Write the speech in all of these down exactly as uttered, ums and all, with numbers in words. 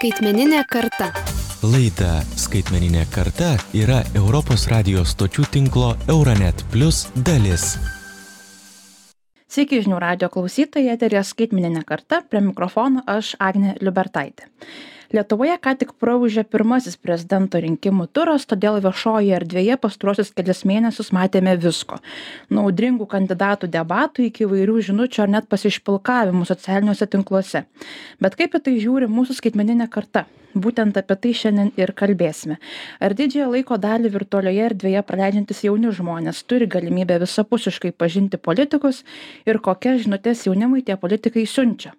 Skaitmeninė karta. Laida Skaitmeninė karta yra Europos radijo stočių tinklo Euronet Plus dalis. Sveiki žinių radijo klausytojai, eteryje Skaitmeninė karta, prie mikrofono aš Agnė Liubertaitė. Lietuvoje ką tik praūžė pirmasis prezidento rinkimų turas, todėl viešojoje erdvėje pastaruosius kelias mėnesius matėme visko. Nuo audringų kandidatų debatų iki įvairių žinučių ar net pasišpilkavimų socialiniuose tinkluose. Bet kaip į tai žiūri mūsų skaitmeninė karta? Būtent apie tai šiandien ir kalbėsime. Ar didžiąją laiko dalį virtualioje erdvėje praleidžiantys jauni žmonės turi galimybę visapusiškai pažinti politikus ir kokias žinutes jaunimui tie politikai siunčia?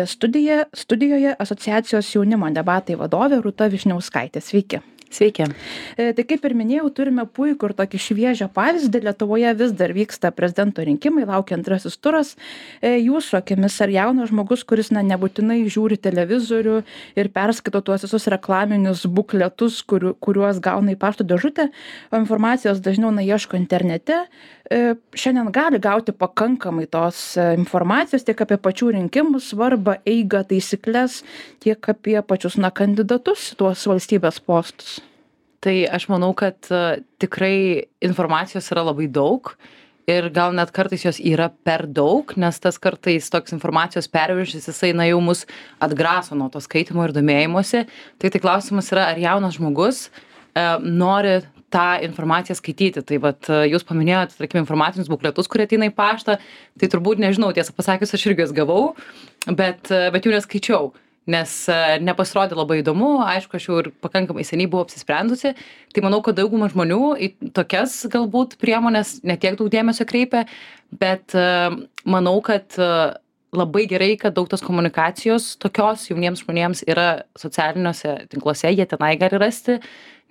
Studija, studijoje asociacijos jaunimo debatai vadovė Rūta Vyšniauskaitė. Sveiki. Sveiki. Tai kaip ir minėjau, turime puikų ir tokį šviežią pavyzdį. Lietuvoje vis dar vyksta prezidento rinkimai, laukia antrasis turas. Jūsų akimis, ar jaunas žmogus, kuris na, nebūtinai žiūri televizorių ir perskaito tuos visus reklaminius bukletus, kur, kuriuos gauna į pašto dėžutę, o informacijos dažniau na, ieško internete, šiandien gali gauti pakankamai tos informacijos tiek apie pačių rinkimų svarbą, eigą, taisyklės, tiek apie pačius na, kandidatus į tuos valstybės postus? Tai aš manau, kad uh, tikrai informacijos yra labai daug ir gal net kartais jos yra per daug, nes tas kartais toks informacijos perviršis, jisai na jau mus atgraso nuo to skaitimo ir domėjimosi. Tai tai klausimas yra, ar jaunas žmogus uh, nori tą informaciją skaityti. Tai vat uh, jūs paminėjote, tarkim, informacinius bukletus, kurie ateina į paštą, tai turbūt nežinau, tiesą pasakius, aš irgi jas gavau, bet, uh, bet jų neskaičiau. Nes nepasirodė labai įdomu, aišku, aš jau ir pakankamai seniai buvau apsisprendusi, tai manau, kad dauguma žmonių į tokias galbūt priemonės netiek daug dėmesio kreipia, bet manau, kad labai gerai, kad daug tos komunikacijos tokios jauniems žmonėms yra socialiniuose tinkluose, jie tenai gali rasti,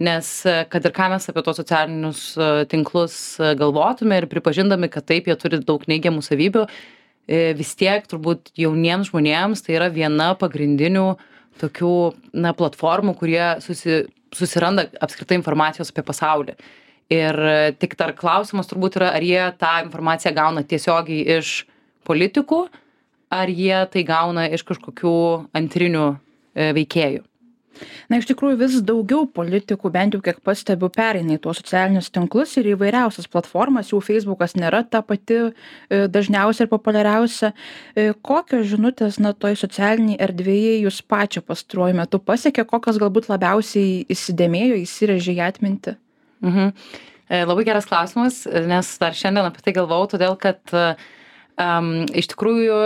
nes kad ir ką mes apie tos socialinius tinklus galvotume ir pripažindami, kad taip, jie turi daug neigiamų savybių, vis tiek turbūt jauniems žmonėms tai yra viena pagrindinių tokių na, platformų, kurie susi, susiranda apskritai informacijos apie pasaulį. Ir tik dar klausimas turbūt yra, ar jie tą informaciją gauna tiesiogiai iš politikų, ar jie tai gauna iš kažkokių antrinių veikėjų. Na, iš tikrųjų vis daugiau politikų, bent jau kiek pastebiu, pereina į tuos socialinius tinklus ir įvairiausias platformas, jau Facebookas nėra ta pati dažniausia ir populiariausia. Kokios žinutės, na, toj socialiniai erdvėje jūs pačią pastaruoju metu pasiekė, kokios galbūt labiausiai įsidėmėjo, įsirėžė į atmintį? Mhm. Labai geras klausimas, nes dar šiandien apie tai galvojau, todėl kad um, iš tikrųjų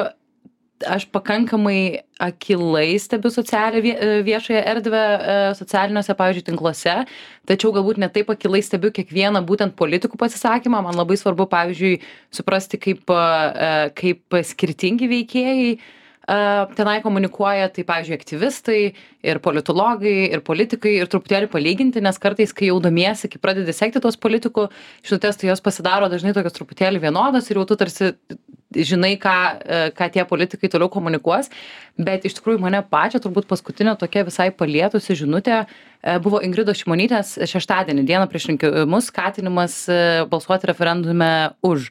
aš pakankamai akylai stebiu socialią viešąją erdvę socialiniuose, pavyzdžiui, tinkluose, tačiau galbūt ne taip akylai stebiu kiekvieną būtent politikų pasisakymą. Man labai svarbu, pavyzdžiui, suprasti, kaip, kaip skirtingi veikėjai tenai komunikuoja, tai, pavyzdžiui, aktyvistai ir politologai ir politikai ir truputėlį palyginti, nes kartais, kai jau domiesi, kai pradedi sekti tos politikų žinutės, tai jos pasidaro dažnai tokios truputėlį vienodos ir jau tu tarsi žinai, ką, ką tie politikai toliau komunikuos, bet iš tikrųjų mane pačią turbūt paskutinė tokia visai palietusi žinutė buvo Ingridos Šimonytės šeštadienį, dieną prieš rinkimus, skatinimas balsuoti referendume už,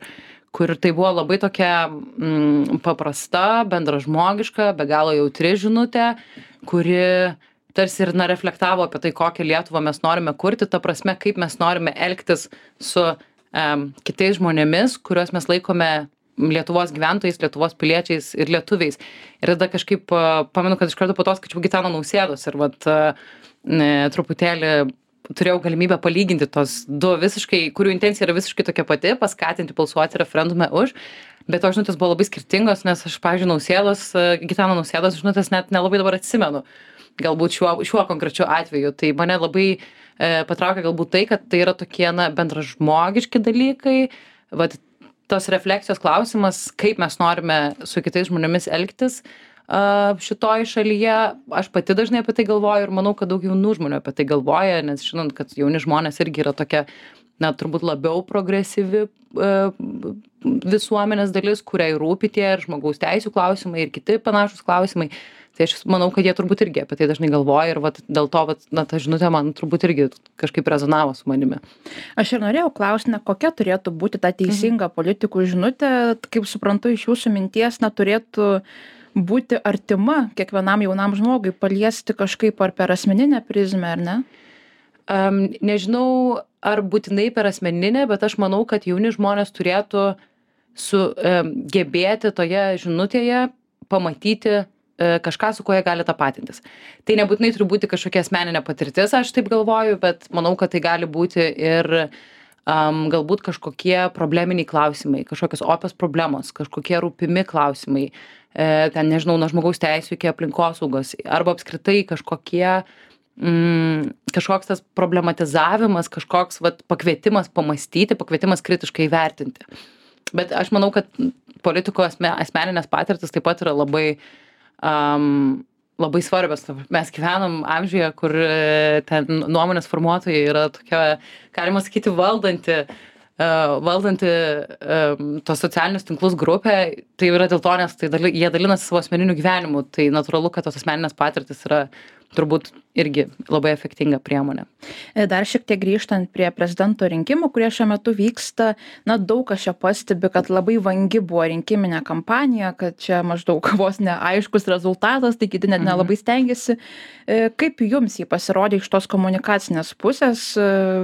kur tai buvo labai tokia mm, paprasta, bendražmogiška, be galo jautri žinutė, kuri tarsi ir na, reflektavo apie tai, kokią Lietuvą mes norime kurti, ta prasme, kaip mes norime elgtis su um, kitais žmonėmis, kuriuos mes laikome Lietuvos gyventojais, Lietuvos piliečiais ir lietuviais. Ir tada kažkaip pamenu, kad iš karto po to skaičiau Gitano Nausėdos ir vat ne, truputėlį turėjau galimybę palyginti tos du visiškai, kurių intencija yra visiškai tokia pati, paskatinti balsuoti referendume už, bet to žinutės buvo labai skirtingos, nes aš, pavyzdžiui, Nausėdos, Gitano Nausėdos žinutės net nelabai dabar atsimenu, galbūt šiuo, šiuo konkrečiu atveju. Tai mane labai e, patraukia galbūt tai, kad tai yra tokie na, bendražmogiški dalykai, vat, tos refleksijos klausimas, kaip mes norime su kitais žmonėmis elgtis šitoj šalyje. Aš pati dažnai apie tai galvoju ir manau, kad daug jaunų žmonių apie tai galvoja, nes žinant, kad jauni žmonės irgi yra tokia, na, turbūt labiau progresyvi visuomenės dalis, kuriai rūpi tie ir žmogaus teisių klausimai ir kiti panašus klausimai. Tai aš manau, kad jie turbūt irgi apie tai dažnai galvoja ir vat, dėl to vat, na, ta žinutė man turbūt irgi kažkaip rezonavo su manimi. Aš ir norėjau klausti, na, kokia turėtų būti ta teisinga mhm. politikų žinutė, kaip suprantu iš jūsų minties, na, turėtų būti artima kiekvienam jaunam žmogui, paliesti kažkaip ar per asmeninę prizmę, ar ne? Um, nežinau, ar būtinai per asmeninę, bet aš manau, kad jauni žmonės turėtų su, um, gebėti toje žinutėje pamatyti uh, kažką, su kuo jie gali tapatintis. Tai nebūtinai turi būti kažkokia asmeninė patirtis, aš taip galvoju, bet manau, kad tai gali būti ir um, galbūt kažkokie probleminiai klausimai, kažkokios opios problemos, kažkokie rūpimi klausimai, uh, ten nežinau, nuo žmogaus teisų iki aplinkosaugos, arba apskritai kažkokie Mm, kažkoks tas problematizavimas, kažkoks vat, pakvietimas pamastyti, pakvietimas kritiškai vertinti. Bet aš manau, kad politiko asme, asmeninės patirtis taip pat yra labai, um, labai svarbios. Mes gyvenam amžiuje, kur ten nuomonės formuotojai yra tokia, galima sakyti, valdanti, uh, valdanti um, tos socialinius tinklus grupė. Tai yra dėl to, nes tai daly, jie dalinasi savo asmeniniu gyvenimu. Tai natūralu, kad tos asmeninės patirtis yra turbūt irgi labai efektinga priemonė. Dar šiek tiek grįžtant prie prezidento rinkimų, kurie šiuo metu vyksta, na daug kas čia pastebi, kad labai vangi buvo rinkiminė kampanija, kad čia maždaug vos neaiškus rezultatas, tai kiti net nelabai stengiasi. Kaip jums jį pasirodė iš tos komunikacinės pusės,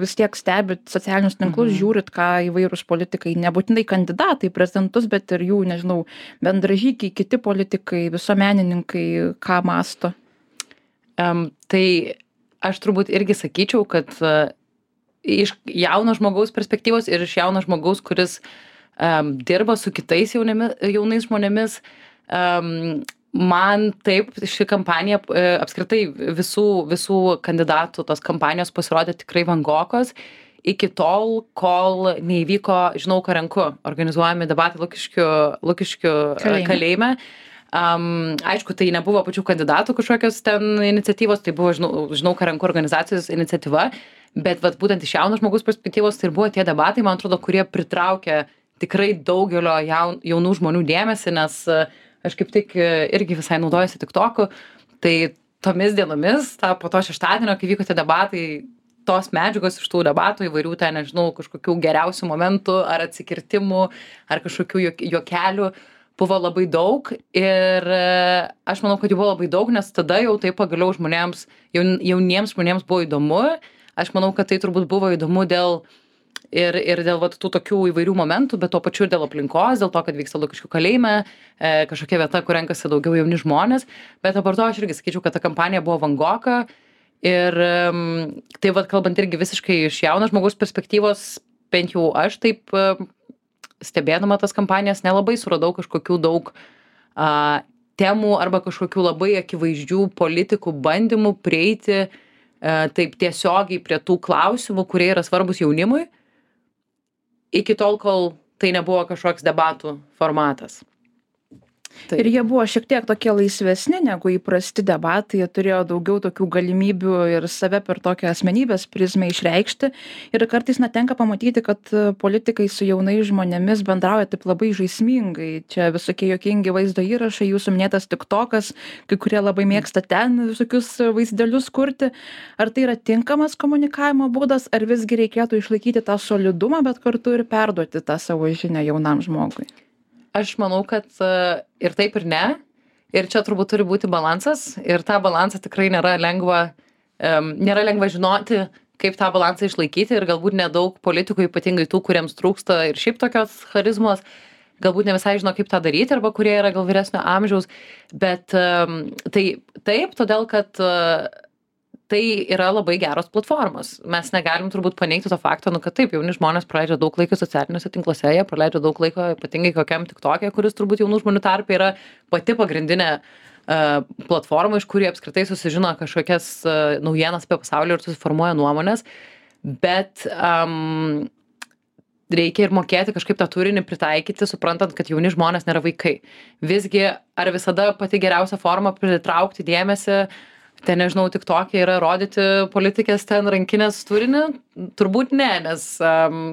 vis tiek stebit socialinius tinklus, mhm. žiūrit, ką įvairūs politikai, nebūtinai kandidatai, prezidentus, bet ir jų, nežinau, bendražygiai, kiti politikai, visuomenininkai, ką masto? Um, tai aš turbūt irgi sakyčiau, kad uh, iš jauno žmogaus perspektyvos ir iš jauno žmogaus, kuris um, dirba su kitais jaunimi, jaunais žmonėmis, um, man taip ši kampanija, uh, apskritai visų, visų kandidatų tos kampanijos pasirodė tikrai vangokos, iki tol, kol neįvyko Žinau, ką renku, organizuojami debatai Lukiškių, Lukiškių kalėjime. kalėjime. Um, aišku, tai nebuvo pačių kandidatų kažkokios ten iniciatyvos, tai buvo Žinau, žinau ką renku organizacijos iniciatyva, bet vat, būtent iš jauno žmogus perspektyvos tai buvo tie debatai, man atrodo, kurie pritraukė tikrai daugelio jaun, jaunų žmonių dėmesį, nes aš kaip tik irgi visai naudojuosi TikToku, tai tomis dienomis, ta, po to šeštadienio, kai vyko tie debatai, tos medžiagos iš tų debatų įvairių ten, nežinau, kažkokių geriausių momentų ar atsikirtimų, ar kažkokių juokelių, buvo labai daug ir aš manau, kad jų buvo labai daug, nes tada jau tai pagaliau žmonėms, jaun, jauniems žmonėms buvo įdomu. Aš manau, kad tai turbūt buvo įdomu dėl ir, ir dėl vat, tų tokių įvairių momentų, bet tuo pačiu ir dėl aplinkos, dėl to, kad vyksta Lukiškių kalėjime, e, kažkokia vieta, kur renkasi daugiau jauni žmonės. Bet apart to aš irgi sakyčiau, kad ta kampanija buvo vangoka ir um, tai vat, kalbant irgi visiškai iš jauno žmogaus perspektyvos, bent jau aš taip stebėdama tas kampanijas nelabai suradau kažkokių daug a, temų arba kažkokių labai akivaizdžių politikų bandymų prieiti a, taip tiesiogiai prie tų klausimų, kurie yra svarbus jaunimui, iki tol, kol tai nebuvo kažkoks debatų formatas. Taip. Ir jie buvo šiek tiek tokie laisvesni negu įprasti debatai, jie turėjo daugiau tokių galimybių ir save per tokią asmenybės prizmę išreikšti. Ir kartais na, tenka pamatyti, kad politikai su jaunais žmonėmis bendrauja taip labai žaismingai. Čia visokie juokingi vaizdo įrašai, jūsų minėtas TikTokas, kai kurie labai mėgsta ten visokius vaizdelius kurti. Ar tai yra tinkamas komunikavimo būdas, ar visgi reikėtų išlaikyti tą solidumą, bet kartu ir perduoti tą savo žinią jaunam žmogui? Aš manau, kad ir taip ir ne. Ir čia turbūt turi būti balansas. Ir tą balansą tikrai nėra lengva, um, nėra lengva žinoti, kaip tą balansą išlaikyti. Ir galbūt nedaug politikų, ypatingai tų, kuriems trūksta ir šiaip tokios charizmos, galbūt ne visai žino, kaip tą daryti, arba kurie yra gal vyresnio amžiaus. Bet um, tai taip, todėl kad uh, tai yra labai geros platformos. Mes negalim turbūt paneigti to fakto, nu, kad taip, jauni žmonės praleidžia daug laiko socialiniuose tinkluose, jie praleidžia daug laiko ypatingai kokiam TikTok'e, kuris turbūt jaunų žmonių tarpe yra pati pagrindinė uh, platforma, iš kurį apskritai susižino kažkokias uh, naujienas apie pasaulį ir susiformuoja nuomonės. Bet um, reikia ir mokėti kažkaip tą turinį pritaikyti, suprantant, kad jauni žmonės nėra vaikai. Visgi, ar visada pati geriausia forma pritraukti dėmesį, ten, nežinau, TikTok'e yra rodyti politikės ten rankinės turinį? Turbūt ne, nes um,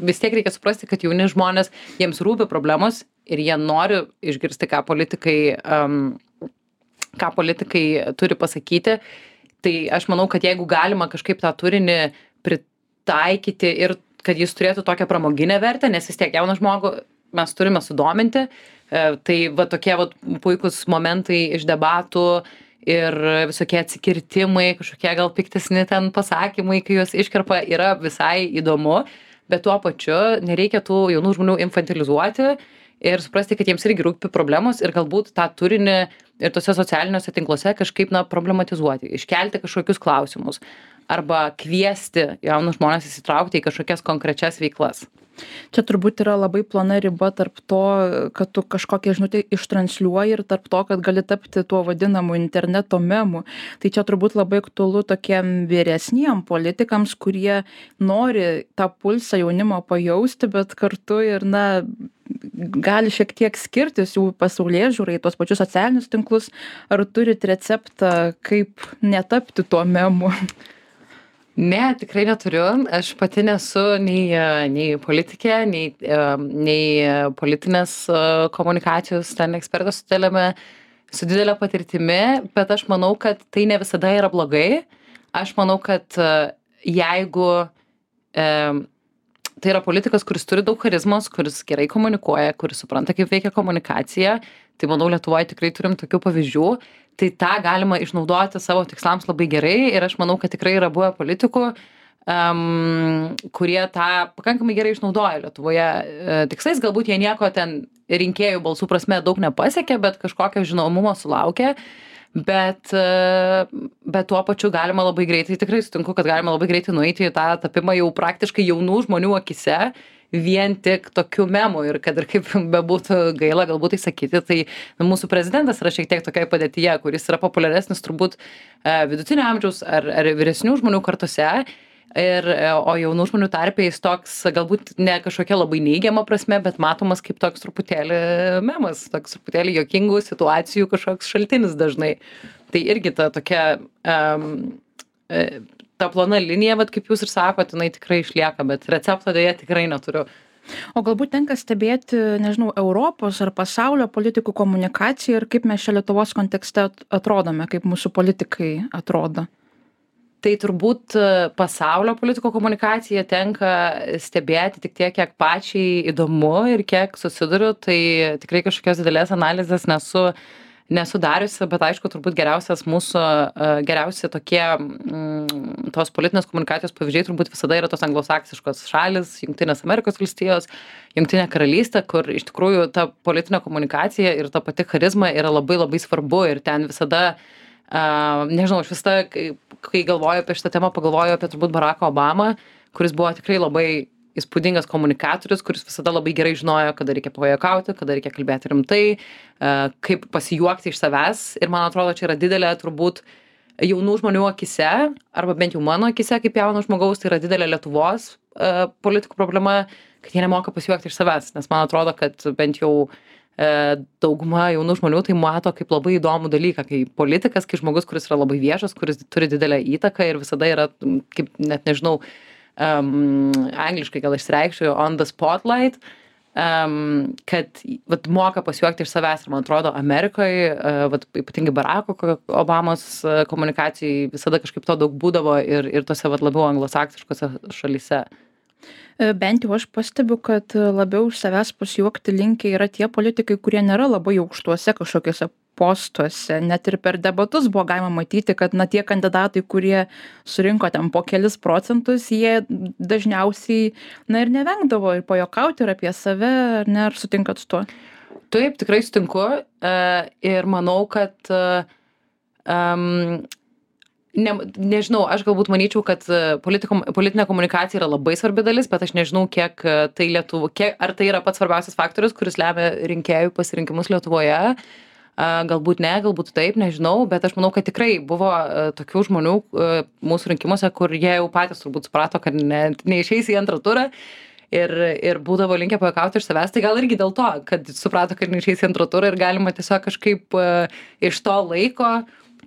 vis tiek reikia suprasti, kad jauni žmonės, jiems rūpi problemos ir jie nori išgirsti, ką politikai, um, ką politikai turi pasakyti. Tai aš manau, kad jeigu galima kažkaip tą turinį pritaikyti ir kad jis turėtų tokią pramoginę vertę, nes vis tiek jauną žmogų mes turime sudominti, Tai va tokie va puikūs momentai iš debatų ir visokie atsikirtimai, kažkokie gal piktesni ten pasakymai, kai juos iškerpa, yra visai įdomu, bet tuo pačiu nereikia tų jaunų žmonių infantilizuoti ir suprasti, kad jiems irgi rūpi problemos ir galbūt tą turinį ir tose socialiniuose tinkluose kažkaip na, problematizuoti, iškelti kažkokius klausimus arba kviesti jaunus žmonės įsitraukti į kažkokias konkrečias veiklas. Čia turbūt yra labai plona riba tarp to, kad tu kažkokią žinutę ištransliuoji ir tarp to, kad gali tapti tuo vadinamu interneto memu. Tai čia turbūt labai aktualu tokiem vyresniem politikams, kurie nori tą pulsą jaunimo pajausti, bet kartu ir, na, gali šiek tiek skirtis jų pasaulėžiūrai, tuos pačius socialinius tinklus. Ar turit receptą, kaip netapti tuo memu? Ne, tikrai neturiu. Aš pati nesu nei, nei politikė, nei, nei politinės komunikacijos ten ekspertas su didelėme, su didelė patirtimi, bet aš manau, kad tai ne visada yra blogai. Aš manau, kad jeigu e, tai yra politikas, kuris turi daug charizmos, kuris gerai komunikuoja, kuris supranta, kaip veikia komunikacija, tai manau, Lietuvoje tikrai turim tokių pavyzdžių. Tai tą galima išnaudoti savo tikslams labai gerai ir aš manau, kad tikrai yra buvę politikų, um, kurie tą pakankamai gerai išnaudoja Lietuvoje e, tikslais. Galbūt jie nieko ten rinkėjų balsų prasme daug nepasiekė, bet kažkokio žinomumo sulaukė. Bet, e, bet tuo pačiu galima labai greitai, tikrai sutinku, kad galima labai greitai nueiti į tą tapimą jau praktiškai jaunų žmonių akise, vien tik tokių memų ir kad ir kaip bebūtų gaila galbūt tai sakyti, tai mūsų prezidentas yra šiek tiek tokiai padėtyje, kuris yra populiaresnis turbūt vidutinio amžiaus ar, ar vyresnių žmonių kartose, ir, o jaunų žmonių tarpe jis toks galbūt ne kažkokia labai neigiama prasme, bet matomas kaip toks truputėlį memas, toks truputėlį juokingų situacijų kažkoks šaltinis dažnai. Tai irgi ta tokia... Um, ta plona linija, bet kaip jūs ir sakot, jinai tikrai išlieka, bet recepto dėja tikrai neturiu. O galbūt tenka stebėti, nežinau, Europos ar pasaulio politikų komunikaciją ir kaip mes čia Lietuvos kontekste atrodome, kaip mūsų politikai atrodo? Tai turbūt pasaulio politikų komunikaciją tenka stebėti tik tiek, kiek pačiai įdomu ir kiek susiduriu, tai tikrai kažkokios didelės analizės nesu nesu dariusi, bet aišku, turbūt geriausias mūsų, geriausi tokie mm, tos politinės komunikacijos pavyzdžiai turbūt visada yra tos anglosaksiškos šalis, Jungtinės Amerikos valstijos, Jungtinė karalystė, kur iš tikrųjų ta politinė komunikacija ir ta pati charizma yra labai labai svarbu ir ten visada, uh, nežinau, aš visada, kai, kai galvoju apie šitą temą, pagalvoju apie turbūt Baracką Obamą, kuris buvo tikrai labai įspūdingas komunikatorius, kuris visada labai gerai žinojo, kada reikia pajuokauti, kada reikia kalbėti rimtai, kaip pasijuokti iš savęs. Ir man atrodo, čia yra didelė turbūt jaunų žmonių akise, arba bent jau mano akise kaip jauno žmogaus, tai yra didelė Lietuvos politikų problema, kad jie nemoka pasijuokti iš savęs. Nes man atrodo, kad bent jau dauguma jaunų žmonių tai mato kaip labai įdomų dalyką, kai politikas, kai žmogus, kuris yra labai viešas, kuris turi didelę įtaką ir visada yra, kaip net nežinau, Um, angliškai gal išsireikščiau, on the spotlight, um, kad vat, moka pasijuokti iš savęs. Ir man atrodo, Amerikoje, uh, vat, ypatingai Baracko Obamos uh, komunikacijai visada kažkaip to daug būdavo ir, ir tose vat, labiau anglosaksiškose šalyse. Bent jau aš pastebiu, kad labiau iš savęs pasijuokti linkę yra tie politikai, kurie nėra labai aukštuose kažkokiuose postuose. Net ir per debatus buvo galima matyti, kad na, tie kandidatai, kurie surinko ten po kelis procentus, jie dažniausiai na, ir nevengdavo ir pajuokauti ir apie save, ar ne, ar sutinkat su tuo? Taip, tikrai sutinku uh, ir manau, kad uh, um, ne, nežinau, aš galbūt manyčiau, kad politiko, politinė komunikacija yra labai svarbi dalis, bet aš nežinau, kiek tai Lietuvo, kiek, ar tai yra pats svarbiausias faktorius, kuris lemia rinkėjų pasirinkimus Lietuvoje. Galbūt ne, galbūt taip, nežinau, bet aš manau, kad tikrai buvo tokių žmonių mūsų rinkimuose, kur jie jau patys turbūt suprato, kad ne, neišeis į antrą turą ir, ir būdavo linkę pajuokauti iš savęs. Tai gal irgi dėl to, kad suprato, kad neišeis į antrą turą ir galima tiesiog kažkaip iš to laiko,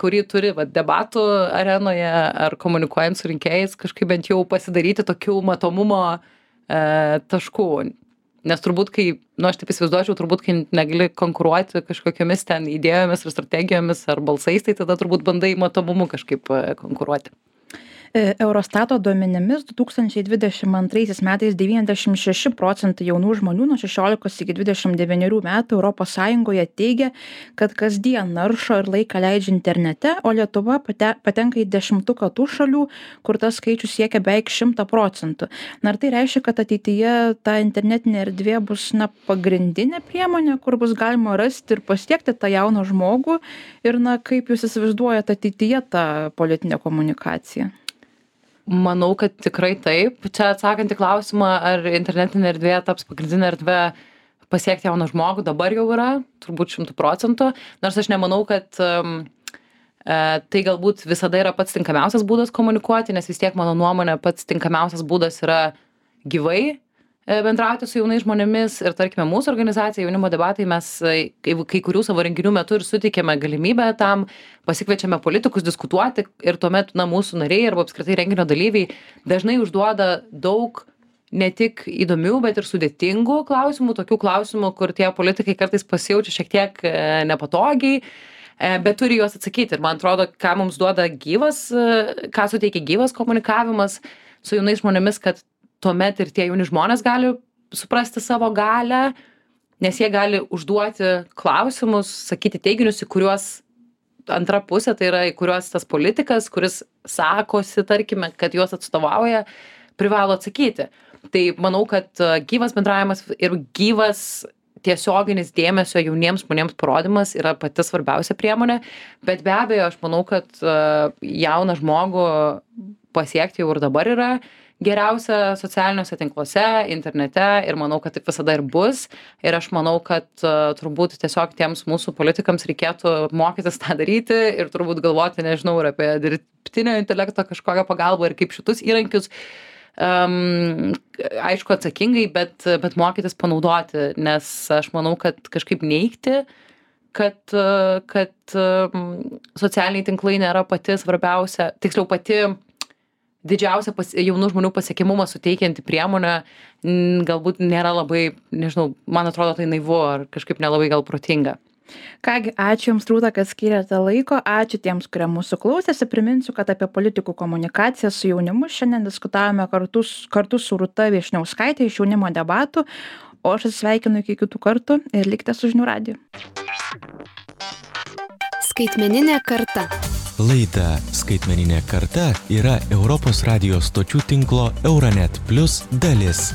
kurį turi va, debatų arenoje ar komunikuojant su rinkėjais, kažkaip bent jau pasidaryti tokių matomumo e, taškų. Nes turbūt, kai, nu aš taip įsivaizduočiau, turbūt, kai negali konkuruoti kažkokiamis ten idėjomis ar strategijomis ar balsais, tai tada turbūt bandai matomumu kažkaip konkuruoti. Eurostato duomenimis du tūkstančiai dvidešimt antraisiais metais devyniasdešimt šeši procentai jaunų žmonių nuo šešiolikos iki dvidešimt devynerių metų Europos Sąjungoje teigia, kad kasdien naršo ir laiką leidžia internete, o Lietuva pate, patenka į dešimtuką tų šalių, kur tas skaičius siekia beveik šimtą procentų. Na, ar tai reiškia, kad ateityje ta internetinė erdvė bus na, pagrindinė priemonė, kur bus galima rasti ir pasiekti tą jauną žmogų ir na, kaip jūs įsivaizduojate ateityje tą politinę komunikaciją? Manau, kad tikrai taip. Čia atsakant į klausimą, ar internetinė erdvė taps pagrindinė erdvė pasiekti jauną žmogų, dabar jau yra, turbūt šimtų procentų. Nors aš nemanau, kad um, e, tai galbūt visada yra pats tinkamiausias būdas komunikuoti, nes vis tiek mano nuomonė pats tinkamiausias būdas yra gyvai bendrauti su jaunais žmonėmis ir tarkime mūsų organizacija Jaunimo debatai mes kai, kai kurių savo renginių metu ir suteikėme galimybę tam, pasikviečiame politikus diskutuoti ir tuomet na, mūsų nariai arba apskritai renginio dalyviai dažnai užduoda daug ne tik įdomių, bet ir sudėtingų klausimų, tokių klausimų, kur tie politikai kartais pasijaučia šiek tiek nepatogiai, bet turi juos atsakyti. Ir man atrodo, ką mums duoda gyvas, ką suteikia gyvas komunikavimas su jaunais žmonėmis, kad tuomet ir tie jauni žmonės gali suprasti savo galią, nes jie gali užduoti klausimus, sakyti teiginius, į kuriuos antra pusė, tai yra į kuriuos tas politikas, kuris sakosi, tarkime, kad juos atstovauja, privalo atsakyti. Tai manau, kad gyvas bendravimas ir gyvas tiesioginis dėmesio jauniems žmonėms parodymas yra pati svarbiausia priemonė, bet be abejo, aš manau, kad jauną žmogų pasiekti jau ir dabar yra geriausia socialiniuose tinkluose, internete ir manau, kad taip visada ir bus. Ir aš manau, kad uh, turbūt tiesiog tiems mūsų politikams reikėtų mokytis tą daryti ir turbūt galvoti, nežinau, ir apie dirbtinio intelekto kažkokią pagalbą ir kaip šitus įrankius, um, aišku, atsakingai, bet, bet mokytis panaudoti, nes aš manau, kad kažkaip neigti, kad, kad um, socialiniai tinklai nėra pati svarbiausia, tiksliau pati didžiausia pas, jaunų žmonių pasiekimumą suteikianti priemonė galbūt nėra labai, nežinau, man atrodo tai naivu ar kažkaip nelabai gal protinga. Kągi, ačiū Jums, Rūta, kad skyrėte laiko, ačiū tiems, kurie mūsų klausėsi. Priminsiu, kad apie politikų komunikaciją su jaunimu šiandien diskutavome kartu, kartu su Rūta Viešniauskaitė iš Jaunimo debatų, o aš atsisveikinu iki kitų kartų ir likite su Žinių radiju. Skaitmeninė karta. Laida Skaitmeninė karta yra Europos radijo stočių tinklo Euronet Plus dalis.